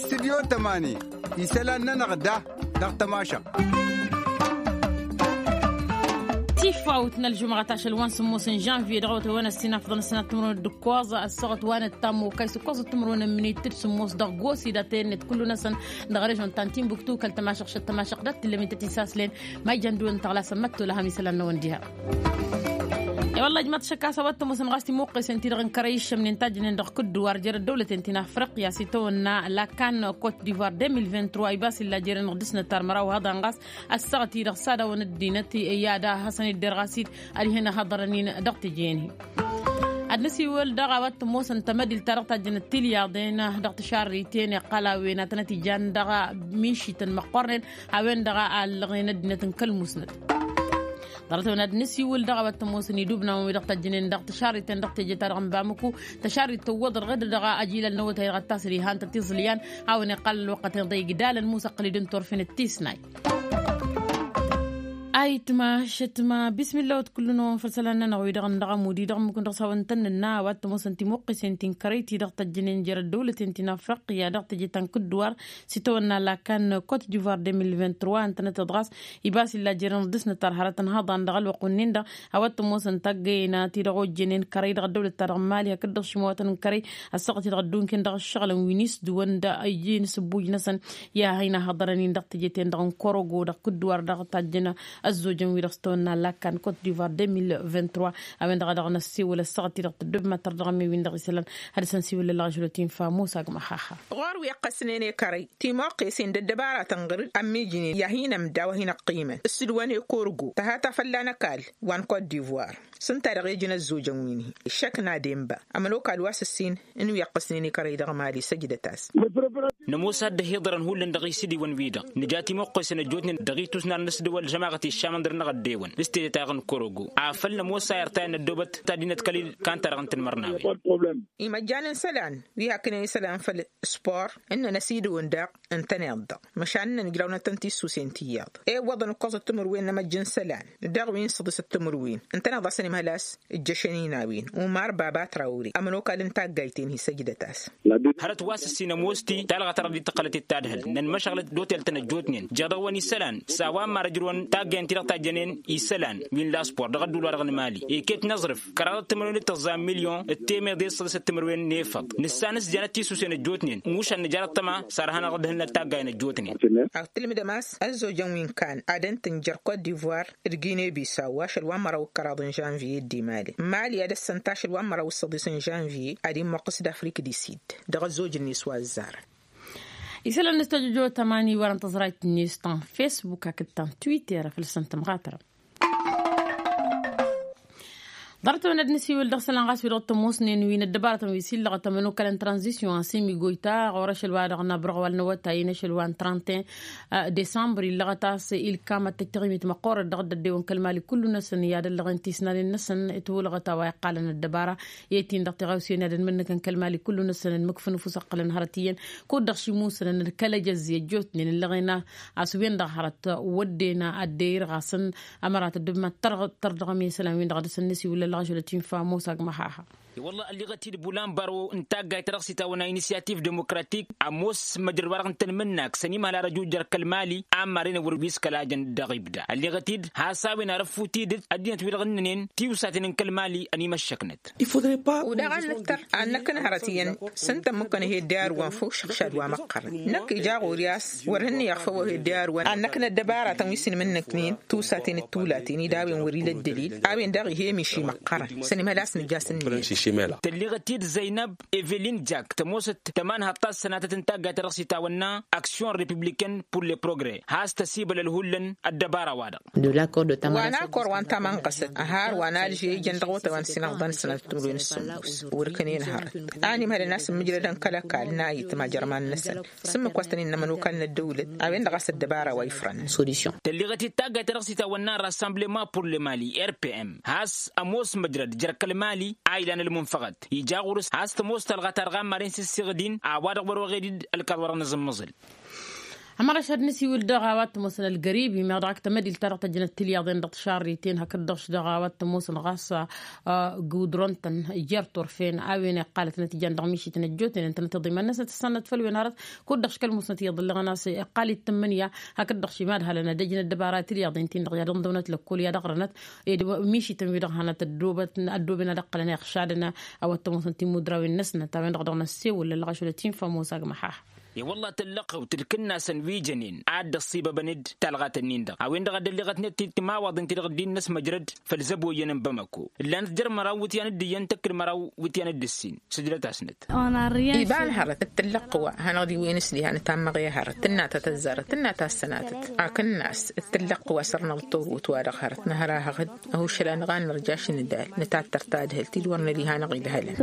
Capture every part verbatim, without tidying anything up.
Studyo tămani isălan-nănăɣ da dăɣ-tămašăɣt. Tifawt n-ălžumɣăt ašăl wa n-sǝmmos n-žănvye dăɣ-awătăwăn ăssinafḍăn ăssinat timǝrwen d-ǝkkoẓ ăssaɣăt wa n-ăttammo kayǝs ǝkkoẓ timǝrwen n-minit d-sǝmmos dăɣ-gosi datăyăn-net kullu-năsăn dăɣ-režon ta n-tinbuktu kăl-tămašăɣt šăt tămašăɣt dat-tǝllăm-i tăt-isaslăyăn. Ma ijăn dăɣ-wăn tăɣlasăn măttol a ham isălan-năwăn diha. I-wălla ijmaḍ šăkk a-s a-wa t-ămoosăn ɣas timǝqqesen-ti-dăɣ n-kărăy iššămnen tajjǝnen dăɣ-kǝdduwar jer-ăddăwlăten ti n-afriqya s-itawănna lakan kot divoir deux mille vingt-trois ibas illa jeren dăɣ-dăɣ-s năttar măraw haḍan ɣas ăssaɣăt-i-dăɣ s-ad-awăn ăddinăt i-ad-hasăn-idder ɣas-dd ad-ihăn ăhăḍărăn-in dăɣ-teje-en-hi. Ad-nǝsiwǝl daɣ a-wa t-ămoosăn tamădilt-ta-dăɣ tajjănăt tilyaḍen dăɣ-tǝšarriten iqqăl a-wen ad-tănăt-ijan dăɣ-mišităn măqqornen a-wen-dăɣ a ăllăɣen ăddinăt n-kăl-musnăt. Ḍarăt-wen ad-nǝsiwǝl dăɣ-a-wa t-ămoosăn idubnawăn wi dăɣ-tăjjǝnen dăɣ-tǝšarriten dăɣ-teje-ta-dăɣ n-bamǝku. Tăšarrit tǝwwăḍăr ɣǝd-dăɣ ajilal n-awătay dăɣ-ăttasăd ihăn-tăt-iẓǝl i-an hawăn-iqqal ălwăqqăten ḍa igdalăn musăqqǝl-dd n-turfen d-tisnay. Ayǝtma šătma bismilla wăt kullu-năwăn făll-isălan-nănăɣ wi-dăɣ n-dăɣ-amudi dăɣ-mǝkun dăɣ-s hawăn-tăn-nǝnna a-wa t-ămoosăn timǝqqisen ti n-kărăy-ti dăɣ-tăjjǝnen jer-ăddăwlăten ti n-afriqya dăɣ-teje ta n-kǝdduwar s-itawănna lakan kot divoir deux mille vingt-trois ǝntănăt-dd ɣas ibas illa jeren dăɣ-dăɣ s-nǝttar hărătăn haḍan dăɣ-ălwăqq-wǝnnin-dăɣ. A-wa t-ămoosăn taggăyăn ti-dăɣ ojjănen kărăy dăɣ-ăddăwlăt-ta-dăɣ n-mali hakd-dăɣ šimawatăn n-kărăy ăssaɣăt-i-dăɣ ăddunkǝn dăɣ-ǝššăɣǝlăn wi n-isdǝwăn d-ăyyen s-ǝbbuj-năsăn i-ad-hin-ăhhăḍărăn-in dăɣ-teje-ten-dăɣ n-korogo dăɣ-kǝdduwar dăɣ-tajjăn ăzzojăn wi-dăɣ s-tawănna lakan kot divoir deux mille vingt-trois. A-wen-dăɣ a dăɣ-năssiwǝl ăssaɣăt-i-dăɣ tăddob ma tărdăɣăm i-win-dăɣ isălan. Ad-dăɣ-săn siwǝl ălɣăšlăt infa musa gma haha. Ɣur-wi ăqqăsnen i-kărăy timoqqesen d-ăddăbaratăn ɣǝr-dd ămmijnen i-ad-hin-ămda wa hin-ăqqimăn s-ǝdwăn i-korgo tăhata fălla-năkall wa n-kot divoir. S-ǝnta-dăɣ ejăn ăzzojăn wi n-hi-iššăk n-ad-enba ămănokal wa s-ǝssin n-wi ăqqăsnen i-kărăy dăɣ-mali săjdăt-as. Nămoos ad-dd-ăhiḍărăn hullan dăɣ-isidiwăn-wi-dăɣ nǝja timoqqesen ăjjootnen dăɣ-itusnar n-ăsdăwăl žămaɣăt iššamăn dăr-năɣ ăddewăn s-tedăt-a-dăɣ n-korogo afăl nămoos a irtayăn n-ăddoobăt ta dd-inăḍkăl-dd. Kantăr n-tǝnmărnawen. Imăjjan n-isălan wi haknen isălan făll-spor ǝnnăn ăsidǝwăn daɣ ǝntăneḍ-dăɣ măšan ǝnnăn ǝjrawnăt-tăn tissusen tiyyăḍ. Iwwăḍăn ǝkkoẓăt timǝrwen n-amăjj n-isălan dăɣ-wi n-săḍisăt timǝrwen ǝntăneḍ a-s ănimhăl a-s ǝjjăšăn inawen umar baba trawre ămănokal n-taggayt-en-hi săjdăt-as. Hărăt wa s-ǝssin ămoos-ti talɣa ta dăɣ-dd-tăqqălăt d-tadhǝlt n-ănmăšăɣlăt d-otel-tăn ăjjootnen jer-dăɣ-wăn isălan s-a-wa n-marăjrǝwăn taggayăn-ti-dăɣ tajjănen isălan wi n-laspor dăɣ-ădduul-wa-dăɣ n-mali iket n-aẓrǝf kăraḍăt timǝrwen d-tăẓẓa n-milyon d-temeḍe d-săḍisăt timǝrwen n-efăḍ. Nǝssan s-janăt tisusen ăjjootnen mušan nǝjarăt tăma s-arhănăɣ d-hǝlnăt taggayăn ăjjootnen. Ad-tǝlmǝdăm a-s ăzzojăn wi n-kan ad-ǝntǝn jer-kot divoir d-gine bisaw ašăl wa n-măraw d-kăraḍ n-žănviye d-imali mali ad-ăssănta ašăl wa n-măraw d-săḍis n-žănviye ad-immoqqǝs d-afrik di sid. Dăɣ-ăzzoj-net wa ăzzarăn. Isălan n-ăstăjjo tămani wărăn tăẓrayt-net ta n-fesbuk hakd ta n-twitter făll-săn tămɣatărăm. Ḍarăt-wen ad-nǝsiwǝl dăɣ-isălan ɣas wi dăɣ-tămoosnen wi n-ăddăbarătăn wi s-illăɣăt ămănokal n-tranzisyon a-s imigoyta ɣur-ašăl wa dăɣ-năbrăɣ wal n-awătay n-ašăl wa n-trente et un decembru illăɣăt a-s ilkam ad-tăjj taɣimit măqqoorăt dăɣ-dd-ăddewăn kăl-mali kullu-năsăn i-ad-ăllăɣen tisnanen-năsăn. Ătwălăɣăt a-wa iqqalăn ăddăbara i-ad-t-in-dăɣ tiɣawsen i-ad-ănmǝnnǝkăn kăl-mali kullu-năsăn ănmǝkfǝn ăfuss ăqqălăn hărăt iyyăn kud-dăɣ šimǝwsănăn d-kăl-ejăzzi ăjjootnen ǝllăɣen a-s wen-dăɣ hărăt wădden a dd-e-irɣasăn ămărat ăddub ma t-tărdăɣăm i-isălan-win-dăɣ ad-dăr-săn nǝsiwǝl ălɣăšăl ătinfa ămoos agmăhaha. I-wălla ălliɣăt-dd bulan baro n-taggayt ta dăɣ-s itawănna inisiyativ demokratik ămoos măjrăd wa-dăɣ n-tanmǝnnak s-ănimhăl ar ăjuj jer-kăl-mali a ămmarăn ewăr wi s-kăla jăn dăɣ-ibda ălliɣăt-dd has-a-wen arăffut-dd ăddinăt wi-dăɣ ǝnnănen tiwsaten n-kăl-mali ănimăššăknăt. Udaɣ ad-nǝttăr ad-năkk n-hărăt iyyăn s-ǝnta ǝmmǝkkăn ăhedde arǝwăn făw šăɣšad wa măqqărăn năkk ija ɣur-i a-s wăr hǝnnǝyăɣ făw ăhedde arǝwăn ad-năkk n-ăddăbaratăn wi s-inmǝnnǝknen tiwsaten d-tulaten-i d-a-wen wăr-ila ăddălil a-wen daɣ ih'-e miši măqqărăn s-ănimhăl a-s nǝja s-ǝnnǝyăn. Tălliɣăt-dd zăynăb evelin jak tămoosăt tămanhaḍt ta s-sănatăt n-taggayt ta dăɣ-s itawănna aksyon republiken pur le progre has-tăsibălăl hullan ăddăbara-wa-dăɣ. Wa n-akor wa n-tamănɣăsăt ăhar wa n-alže ijăn dăɣ-otay wa n-sinăɣḍa n-sănatăt timǝrwen s-sǝmmos wăr kănen hărăt a ănimhălăn a-s ǝmmǝjrădăn kăl-ăkall n-ayǝtma jărman-năsăn s-ǝmmǝk wa s-tăn-innă ămănokal n-ăddăwlăt a-wen-dăɣ a-s ăddăbara wa ifrăn. Tălliɣăt-dd taggayt ta dăɣ-s itawănna rassemblement pur le mali rpm has-ămoos măjrăd jer-kăl-mali a ilan ălmunfăɣăt ija ɣur-s has-tămoos talɣa ta dăɣ-ammaren s-ǝssiɣǝd-in a-wa-dăɣ wăr-oɣed-dd ălkaḍ wa dăɣ-nǝzǝmmăẓǝl. Ămăraš ad-nǝsiwǝl dăɣ-a-wa t-ămoosăn ălgăribi meɣ dăɣ-ak tămădilt-ta-dăɣ tăjjănăt tilyaḍen dăɣ-tišarriten hakd-dăɣ-š dăɣ-a-wa t-ămoosăn ɣas gudron-tăn jer-turfen a-wen iqqalătnăt ijan dăɣ-mišităn ăjjootnen ǝntănăt iḍǝyman-năsnăt ǝssannăt făll-wen hărăt. Kud-dăɣ š kăl-musnăt iyyăḍ ǝlleɣăn a-s iqqal-i d-tǝmmǝnǝya hakd-dăɣ š imadhalăn ad-ăjnăt dăbara tilyaḍen-tin-dăɣ i-ad-ǝnḍăwnăt lăkkol i-ad-ăɣrănăt ed mišităn-wi-dăɣ hanăt-ăddooben ad-ăqqălăn iɣšadăn a-wa t-ămoosăn timudrawen-năsnăt a-wen-dăɣ dăɣ-năssewǝl ălɣăšulăt infa mosa g-măḥaha. E-wălla tǝllăqqăw tǝlkǝnna-săn wi jănen ad-dd-ăṣṣibăbăn-dd talɣat-nin-dăɣ a-wen-dăɣ a dd-ălleɣătnet timawaḍen-ti-dăɣ dd-innăsmăjrăd făll-zăboyyăn n-bamăko ǝllanăt jer-măraw iwǝtyan d-iyyăn tăkk d-măraw iwǝtyan d-ǝssin. Sǝjdăt-asnăt. Iba n-hărăt d-tǝllăqqǝwa hanăɣ-dd-iwwăyăn s-diha nǝtammăɣ i-hărăt tǝnnatăt ăzzarăt tǝnnatăt sănatăt. Akǝnnas d-tǝllăqqǝwa sărnăɣ d-torut-wa-dăɣ hărăt nǝhărahăɣ-dd ăhušăl-anăɣ a nărjaš n-idal nǝtattăr tadhǝlt-i d-wăr nări hanăɣ-idhălăn.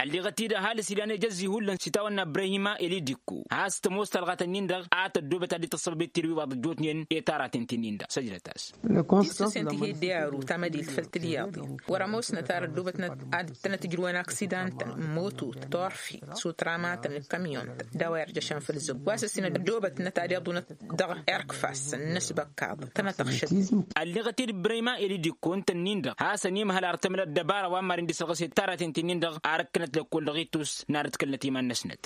Ălleɣăt-dd ăhalǝs ilan ejăzzi hullan s-itawănna ibrahima elidikko has-tămoos talɣatăn-in-dăɣ a tăddoobăt ad-dd-tăssăbăb i-tirwiwaḍ ăjjootnen i-taratăn-tin-in-dăɣ săjdăt-as. Tisǝsen ti hi-dd-i aru tamădilt făll-tilyaḍi wăr-ămoosnăt ar ăddoobătnăt ad-ǝttănăt ǝjrǝwăn aksidan-tăn n-motut turfi s-utramatăn d-kamyon-tăn d-a-wa irjăšăn făll-zăgg wa s-ǝssin ăddoobătnăt ad-iḍunăt dăɣ-erkfas n-inǝsbăkkaḍ tănăt-ăɣšăt. Ălleɣăt-dd brăyma elidikko ǝnta-nin-dăɣ hasăn-imhăl ar tămla ăddăbara wa n-maren dd-isărɣǝset taratăn-tin-in-dăɣ ar ǝkkǝnăt lăkkol-dăɣ ittus n-ad-ǝtkălnăt iman-năsnăt.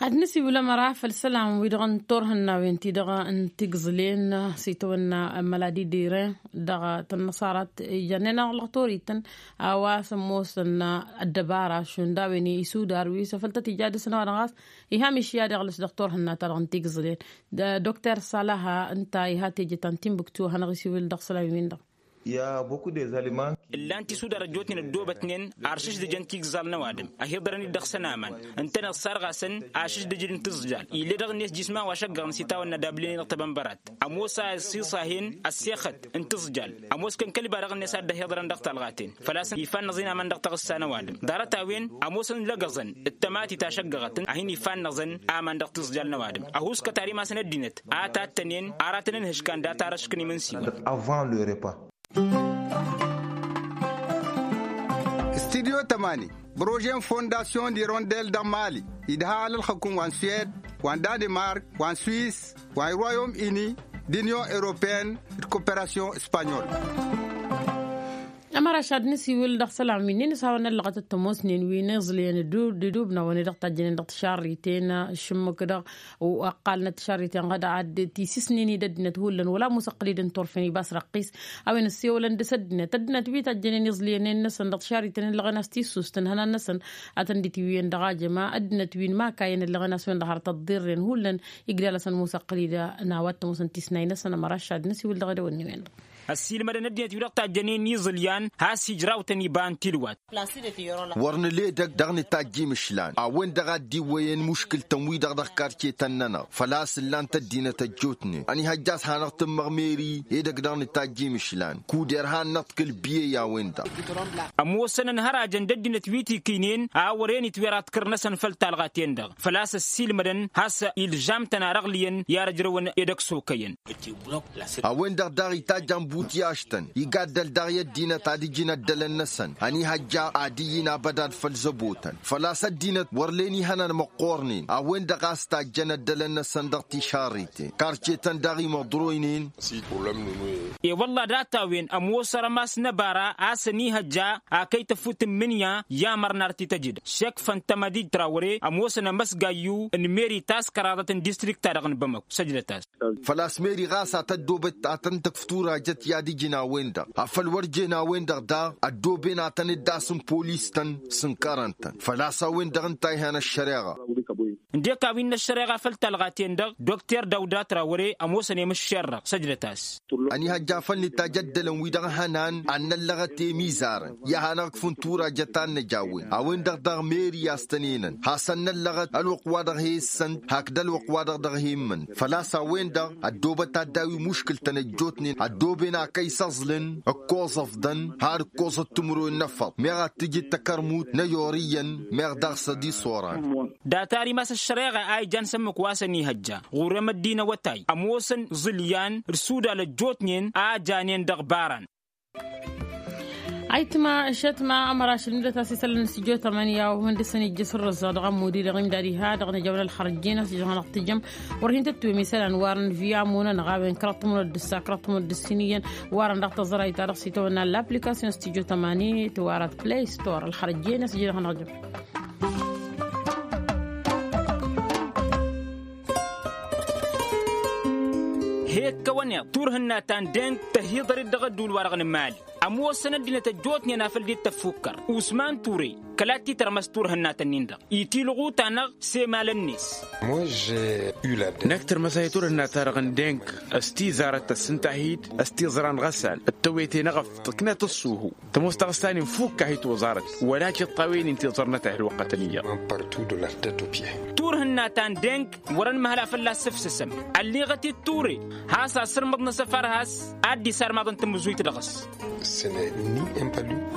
Ad-nǝsiwǝl ămăra făll-isălan wi-dăɣ n-turhǝnnawen-ti-dăɣ n-tigẓǝlen s-itawănna măladi d-iren dăɣ-tănnăṣarat ijănnen ălɣător-ităn a-wa s-ămoosăn ăddăbara šund a-wen isudar wi s-afăl tăt-ija dăr-săn a-wa dăɣ-ɣas iha mišya d-iɣlǝs dăɣ-turhǝnna-ta-dăɣ n-tigẓǝlen. Dr sălaha ǝnta iha teje ta n-timbuktu a hanăɣ-isiwǝl dăɣ-isălan-win-dăɣ. Ǝllan tisudar ăjjootnen ăddoobătnen ar šǝždǝjăn tigẓal n-ăwadǝm ăhiḍărăn-dd dăɣ-săn aman ǝntăneḍ sarɣasăn ašǝždǝj d-intiẓjal ill'-e dăɣ-net jisma wa šăggăɣăn s-itawănna d-ablǝnen dăɣ-tebănbărat. Ămoos a ăssiṣahen ăssexăt n-tiẓjal ămoos kănkăl iba dăɣ-net a dd-ăhiḍărăn dăɣ-talɣaten făl-a-s ifa n-năẓin aman dăɣ-taɣǝssa n-ăwadǝm. Ḍarăt-a-wen ămoosăn lăgăẓăn d-tămatit a šăggăɣătăn a hin-ifa n-năẓăn aman dăɣ-tiẓjal n-ăwadǝm ăhuuskăt ar imasăn ăddinăt a tattănen aratăn n-ihǝškan data-dăɣ škǝn imǝnsiwăn. Studyo tămani prože n-fondasyon d-irondel dăɣ-mali idha alălxăkun wa n-suwed wa n-danemark wa n-swis wa n-royom uni d-unyon europeen d-koperasyon espanyol. Ămăraš ad-nǝsiwǝl dăɣ-isălan wi n-inǝshawăn ăllăɣăt d-tămoosnen wi n-iẓlăyăn d-idubnawăn i-dăɣ tajjănen dăɣ-tišarriten šǝmmǝk-dăɣ ăqqalnăt tišarriten ɣad ad-tisǝsnen-dd ăddinăt hullan wăla ămoos ăqqăl-dd n-turfen ibas răqqis. A-wen ăssewălăn dăɣ-s ăddinăt ăddinăt wi tajjănen iẓlǝyăn-en-năsăn dăɣ-tišarriten ǝllăɣen a-s tissust ǝnhănan-năsăn ad-tăn-dd-itiwǝyăn dăɣ-ajăma ăddinăt wi n-imakayăn ǝllăɣen a-s wen-dăɣ har tăḍḍirren hullan. Igdal-asăn ămoos ăqqăl-dd n-a-wa t-ămoosăn tisnay-năsăn ămăraš ad-nǝsiwǝl dăɣ-edăwănniwen-dăɣ. Ăssiilmădăn ăddinăt wi-dăɣ tajjănen iẓǝlyan has-ijrawtăn iba n-tilwat. Wăr nǝla edăgg dăɣ-nǝtajj imǝšlan a-wen-dăɣ a dd-iwwăyăn muškǝl-tăn-wi-dăɣ dăɣ-karce-tăn-nănăɣ făl-a-s ǝllan-t ăddinăt ăjjootnen ănihăjja a-s hanăɣ-tǝmmăɣ meri edăgg dăɣ-nǝtajj imǝšlan kud-irha ad-nǝḍkǝl biyey a-wen-dăɣ. Ămoosăn ănhărajăn d-ăddinăt wi t-ikǝynen a wăren itwera ăḍkăr-năsăn făll-talɣa-ten-dăɣ făl-a-s ăssiilmădăn has-ilžam-tăn ar ăɣlǝyăn i-ad-ăjrăwăn edăgg s-okăyăn. A-wen-dăɣ daɣ itajjan butyaš-tăn igaddăl daɣ i-ăddinăt ad-ǝjǝn ăddălăn-năsăn ănihăjja ad-iyyǝn abădad făll-zăbo-tăn făl-a-s ăddinăt wăr len ihănan măqqoornen a-wen-dăɣ a-s tajjăn ăddălăn-năsăn dăɣ-tišarriten karcetăn daɣ imăḍroynen. E-wălla data-wen ămoos arămas n-ăbara a-s ănihăjja akăy tăfut n-imǝnya i-amăr n-ar t-tăjǝd šekfăn tămădij trawăre ămoosăn amăsgayyu n-meri ta s-kăraḍăt n-distrikta-dăɣ n-bamăk săjdăt-as. Făl-a-s meri ɣas ad-tăddoobăt ad-tăn-tăkf turajăt i-ad-ǝjǝn a-wen-dăɣ afăl wăr jen a-wen-dăɣ daɣ ăddooben ad-tăn-dd-asǝm polis-tăn s-ǝnkărăn-tăn făl-a-s a-wen-dăɣ ǝnta a ihan ăššăreɣa. Ǝndek a-wen n-ăššăreɣa făll-talɣa-ten-dăɣ dokter dawda trawăre ămoosăn i-mǝššer-dăɣ săjdăt-as. Ănihăjja făl nǝtajj ăddălăn-wi-dăɣ hănan ad-năllăɣăt i-imizarăn i-ad-hanăɣ-ǝkfǝn turajăt a n-năj a-wen a-wen-dăɣ daɣ meri a-s tăn-enăn hasăn-năllăɣăt ălwăqq wa dăɣ-he-ǝssăn hakd ălwăqq wa dăɣ-dăɣ-he-immǝn făl-a-s a-wen-dăɣ ăddoobăt ad-daw-i muškǝl-tăn ăjjootnen ăddooben a kăy-săẓlǝn ǝkkoẓăfdăn har ǝkkoẓăt timǝrwen n-efăḍ meɣ ad-tǝjǝd takărmut n-ăyoriyyăn meɣ daɣ s-ad-iṣoran. Data-ri mas-ăššăreɣa a ijan s-ǝmmǝk wa s-ănihăjja ɣur-e măddin awătay ămoosăn iẓǝlyan d-isudal ăjjootnen a janen dăɣ-ibaran. Ayǝtma ăššătma ămărašăl n-dăt-as isălan n-studio tămani a-wa hundăsăn ijjăs ărrăẓẓaɣ dăɣ-ămmud-i-dăɣ imdad iha dăɣ-năjăwăn ălxărăjjen a-s ijăɣ hanăɣ-tǝjjăm wăr hin-tăttuwem isălan wa arăn via munănăɣ a-wen kăraḍ tămănăɣ d-ǝssa kăraḍ tămănăɣ d-ǝssin iyyăn wa arăn dăɣ-tăẓrayt-ta-dăɣ s-itawănna l-application studio tămani tǝwarăt play store ălxărăjjen a-s ijăɣ hanăɣ-jăm. He-ǝkkăwăn iḍ turhǝnna ta n-deng tăhiḍăr-dd dăɣ-ădduul-wa-dăɣ n-mali. Ămoosăn ăddinăt ăjjootnen afăl dd-tăffukkăr usman ture kăla t-titărmăs turhǝnna-tăn-in-dăɣ itilɣu-ta-năɣ s-emalăn-net. Năkk tărmăs a hi-turhǝnna-ta-dăɣ n-deng s-tizarăt tăssǝnta-hi-dd s-tiẓra n-ɣăsal d-tăwete n-eɣăf tǝknăt ǝṣṣuhu. Tămoos taɣǝsta-nin fukk a hi-toẓarăt wăla tiṭṭawen-in tiẓărnăt a hi-ălwăqqătăn iyyăḍ. Turhǝnna ta n-deng wăr-ănmăhăla fălla-s sǝfsǝsăm ălliɣăt-dd ture has-asǝrmăḍ n-asăfar has-ad-dd-isarmaḍăn tamǝzuyt dăɣ-s.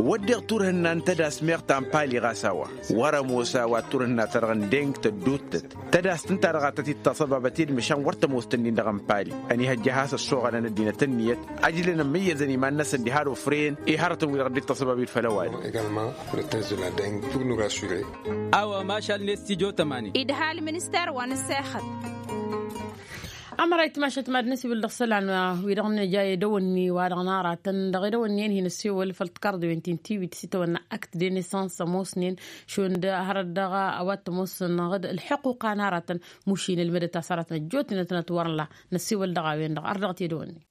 Wădden turhǝnna n-tădas meɣ ta n-pali ɣas a-wa wăr-ămoos a-wa turhǝnna-ta-dăɣ n-deng tădduuttăt tădas tǝnta-dăɣ a tăt-dd-taṣăbabăt i-dd măšan wăr tămoos tǝnnin dăɣ-n pali. Ănihăjja has-ăssoɣălăn ăddinăt ǝnniyăt ăjlăn ămmǝyyăzăn iman-năsăn diha d-ofren i-hărătăn wi-dăɣ dd-taṣăbab i-dd făll-ăwadǝm. A-wa mašal n-e-stujo tămani. Idha ălminister wa n-ăssexăt. Ămăra itmašăt mad-năsiwǝl dăɣ-isălan wi-dăɣ nǝja edăwănni wa dăɣ-naratăn dăɣ-edăwănni-en hin-ăssewăl făll-tikarḍewen ti n-tiwit s-itawănna akt de nesans ămoosnen šund hărăt dăɣ-a-wa t-ămoosăn ɣǝd ălḥuquqa n-aratăn. Mušin ălmădăt a-s aratăn ăjjootnen ad-tănăt wăr-nǝla năssewăl dăɣ-a-wen-dăɣ ar dăɣ-t edăwănni.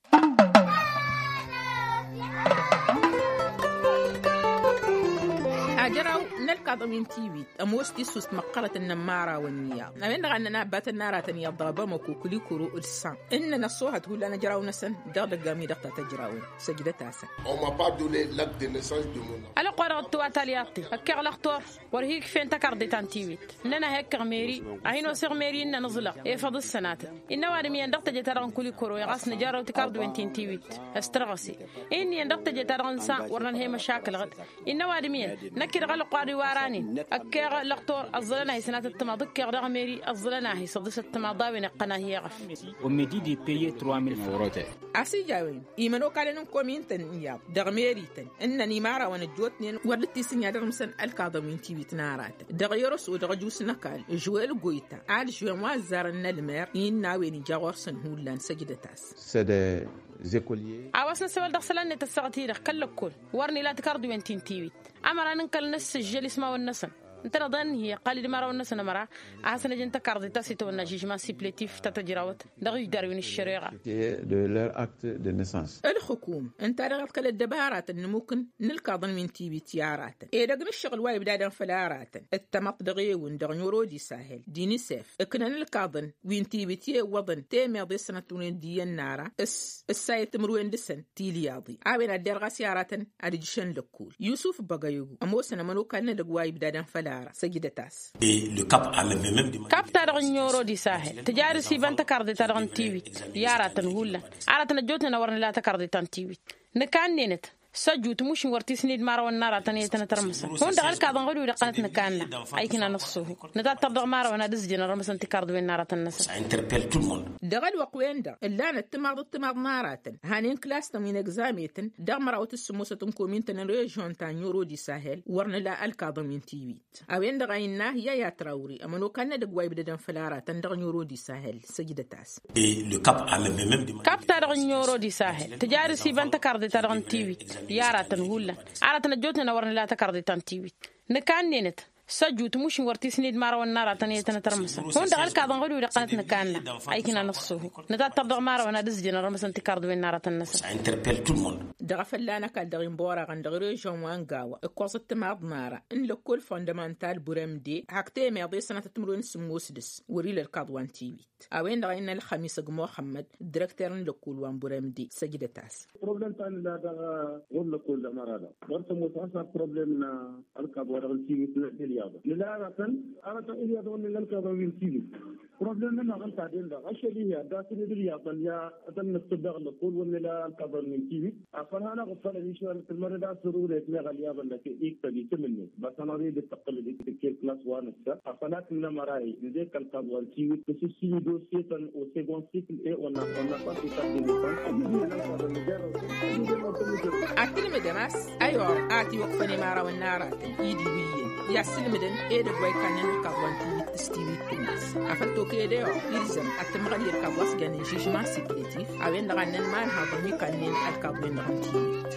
Ajăraw n-ălkaḍăn wi n-tiwit ămoos tissust măqqărăt n-inămmarawăn iyyăḍ a-wen-dăɣ a ǝnnăn abbatăn n-aratăn iyyăḍ dăɣ-bamăko kǝlikuro d-san ǝnnăn ăṣṣoohăt hullan ajăraw-năsăn dăɣ-idăgg a-wi-dăɣ ta tăjrawăn. Săjdăt-asăn. Ălwăqq-wa-dăɣ ǝttǝwat alyaḍt-i ăkkeɣ lăxtor wăr hi-ikfen tăkarḍe ta n-tiwit ǝnnăn a hi-ăkkeɣ meri a hin-oseɣ meri ǝnnăn ǝẓlăɣ efăḍ d-sănatăt. Innă ăwadǝm iyyăn dăɣ-teje-ta-dăɣ n-kulikoro i-ɣas nǝjarrăw tikarḍwen ti n-tiwit s-tărɣăse. Inn'-iyyăn dăɣ-teje-ta-dăɣ n-san wăr nănhăy măšakǝl ɣǝd. Innă ăwadǝm iyyăn năkk-i-dăɣ ălwăqq-wa-dăɣ iwar'-anen ăkkeɣ lăqtor ăẓẓălăn-ahi sănatăt timaḍ ǝkkeɣ dăɣ-meri ăẓẓălăn-ahi săḍǝsăt timaḍ a-wen iqqăn-ahi eɣăf. Ommedi d-ippeye trois mille francs. A-s ija a-wen imănokalăn n-komin-tăn iyyăḍ dăɣ-meri-tăn ǝnnăn imarawăn ăjjootnen wăr dd-tisǝnja dăɣ-imsăn ălkaḍăn wi n-tiwit n-aratăn dăɣ-i-orăso dăɣ-ăjuus n-ăkall žwel goyta alžwen wa ăzzarăn n-ălmer innă a-wen ija ɣur-săn hullan săjdăt-as. A-wa s-năsewăl dăɣ-isălan-net ăssaɣăt-i-dăɣ kăl-lăkkol wăr nila tikarḍiwen ti n-tiwit. Ămăra n-ǝnkăl n-ăssǝžžăl ismawăn-năsăn ǝntăneḍ a ǝnnǝhi ăqqal-dd imărawăn-năsăn ămăra a hasăn-ăjăn tăkarḍe ta s-itawănna žijman sipletif ta tăjrawăt dăɣ-ijdar wi n-ăššăreɣa. De leur acte de naissance. Ǝlxǝkum ǝnta-dăɣ ăḍkăl ăddăbaratăn n-imukǝn n-ǝlkaḍăn wi n-tiwit i-aratăn edăgg n-ǝššăɣǝl wa ibdadăn făll-aratăn d-tamăḍt dăɣ-ewǝn dăɣ-noro d-isahel d-inisef ǝknăn ǝlkaḍăn wi n-tiwit i-iwwăḍăn temeḍe s-ănăttunen d-iyyăn n-ara s-ăssayăt timǝrwen dăɣ-săn tilyaḍe a-wen ad-derɣas i-aratăn ad-ǝjšăn lăkkul yusuf băgăyăgu ămoosăn ămănokal n-edăgg wa ibdadăn făll-ara săjdăt-as. Kap-ta-dăɣ n-oro d-isahel tǝja ad-ăsibăn tăkarḍe-ta-dăɣ n-tiwit i-aratăn hullan aratăn ăjjootnen a wăr nǝla tăkarḍe ta n-tiwit. Nǝkannenăt s-ăjut mušin wăr t-isnid imărawăn n-aratăn i-tăn-ătărmǝsăn hundăɣ ălkaḍăn ɣud-wi-dăɣ tănăt nǝkanna. Ayǝknan ăṣṣuhu nǝtattăr dăɣ-imărawăn ad-ǝzjǝnăn ărmăsăn tikarḍiwen n-aratăn-năsăn. Dăɣ-ălwăqq-wen-dăɣ ǝllanăt timaḍ d-timaḍ n-aratăn hanen klas-tăn wi n-egzametăn dăɣ-mărawăt s-sǝmmosăt n-komin-tăn n-režyon ta n-oro d-isahel wăr nǝla ălkaḍăn wi n-tiwit. A-wen-dăɣ a innă yaya trawri ămănokal n-edăgg wa ibdădăn făll-aratăn dăɣ-noro d-isahel săjdăt-as. Kap-ta-dăɣ n-noro d-isahel tǝja ad-ăsibăn tăkarḍe-ta-dăɣ n-tiwit i-aratăn hullan aratăn ăjjootnen a wăr nǝla tăkarḍe ta n-tiwit. Nǝkannenăt s-ăjut mušin wăr t-isnid imărawăn n-aratăn i-tăn-ătărmǝsăn hundăɣ ălkaḍăn ɣud-wi-dăɣ tănăt nǝkanna. Ayǝknan ăṣṣuhu nǝtattăr dăɣ-imărawăn ad-ǝzjǝnăn ărmăsăn tikarḍiwen n-aratăn-năsăn. Dăɣ-afălla n-ăkall dăɣ-inboraɣăn dăɣ-režyon wa n-gawa ǝkkoẓăt timaḍ n-ara n-lăkkol fondămantal buremde hak temeḍe sănatăt timǝrwen s-sǝmmos dăɣ-s wăr-ila ălkaḍ wa n-tiwit. A-wen-dăɣ a innă ălxămis ăgg muxămmăd direkter n-lăkkol wa n-buremde săjdăt-as. Probleme ta n-illa dăɣ-wăr lăkkol dăɣ-măraḍa wăr tămoos a-s a probleme n-ălkaḍ wa dăɣ-n tiwit n-ăddin. Nǝla aratăn aratăn ǝlyaḍăn wăr nǝla ălkaḍăn wi n-tiwit. Probleme-năɣ ǝnta a den-dăɣ ašăl-i hi-ad-dd-asǝned ǝlyaḍăn i-ad-ănnăssăd daɣ n-lăkkol wăr nǝla ălkaḍăn wi n-tiwit. Afăl hanăɣ-ǝffălăn išăl tǝlmădăd a-s ărure-t meɣ ălyaḍăn-năk iktăb isǝm-net băsănăɣ-i dd-tăqqǝlăd i-tǝkked klas wa nǝssa afăl ad-tǝnnăm ărahi. Nǝdek ălkaḍ wa n-tiwit tǝsǝssǝy dosye-tăn osegond sikl e wănna wănna fasitat de nefan. Ad-tǝlmǝdăm a-s ăyɣăr a ătiwăkfăn i-imărawăn n-aratăn i-dd-iwǝyyăn i-ad-sǝlmǝdăn edăgg wa ikannen ălkaḍ wa n-tiwit s-tiwit tǝnnas. Afăl tokăyăd ăyɣăr ilzăm ad-tǝmmăɣăl i-ălkaḍ wa s-jannen žijman sikletif a-wen-dăɣ a ǝnnăn imanhaḍăn wi ikannen ălkaḍ-wen-dăɣ n-tiwit.